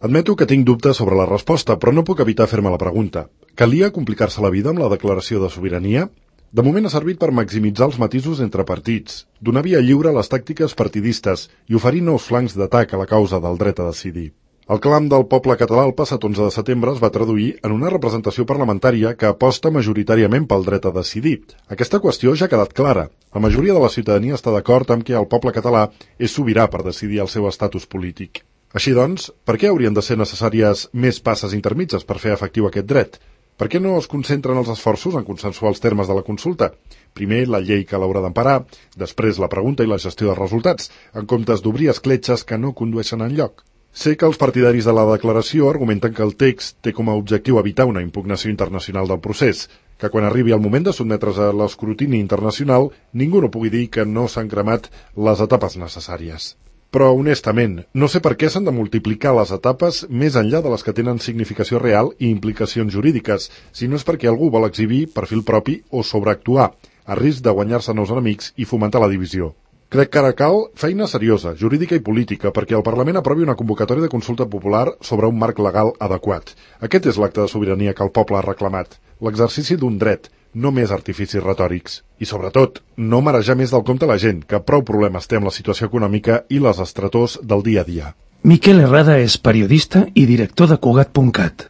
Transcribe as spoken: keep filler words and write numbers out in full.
Admeto que tinc dubtes sobre la resposta, però no puc evitar fer-me la pregunta. Calia complicar-se la vida amb la declaració de sobirania? De moment ha servit per maximitzar els matisos entre partits, donar via lliure a les tàctiques partidistes i oferir nous flancs d'atac a la causa del dret a decidir. El clam del poble català el passat onze de setembre es va traduir en una representació parlamentària que aposta majoritàriament pel dret a decidir. Aquesta qüestió ja ha quedat clara. La majoria de la ciutadania està d'acord amb que el poble català és sobirà per decidir el seu estatus polític. Així doncs, per què haurien de ser necessàries més passes intermitges per fer efectiu aquest dret? Per què no es concentren els esforços en consensuar els termes de la consulta? Primer la llei que l'haurà d'emparar, després la pregunta i la gestió dels resultats, en comptes d'obrir escletxes que no condueixen enlloc. Sé que els partidaris de la declaració argumenten que el text té com a objectiu evitar una impugnació internacional del procés, que quan arribi el moment de sotmetre's a l'escrutini internacional ningú no pugui dir que no s'han cremat les etapes necessàries. Però, honestament, no sé per què s'han de multiplicar les etapes més enllà de les que tenen significació real i implicacions jurídiques, si no és perquè algú vol exhibir perfil propi o sobreactuar, a risc de guanyar-se nous enemics i fomentar la divisió. Crec que ara cal feina seriosa, jurídica i política, perquè el Parlament aprovi una convocatòria de consulta popular sobre un marc legal adequat. Aquest és l'acte de sobirania que el poble ha reclamat, l'exercici d'un dret, no més artificis retòrics. I, sobretot, no marejar més del compte la gent, que prou problemes té amb la situació econòmica i les estretors del dia a dia. Miquel Herrada és periodista i director de Cugat punt cat.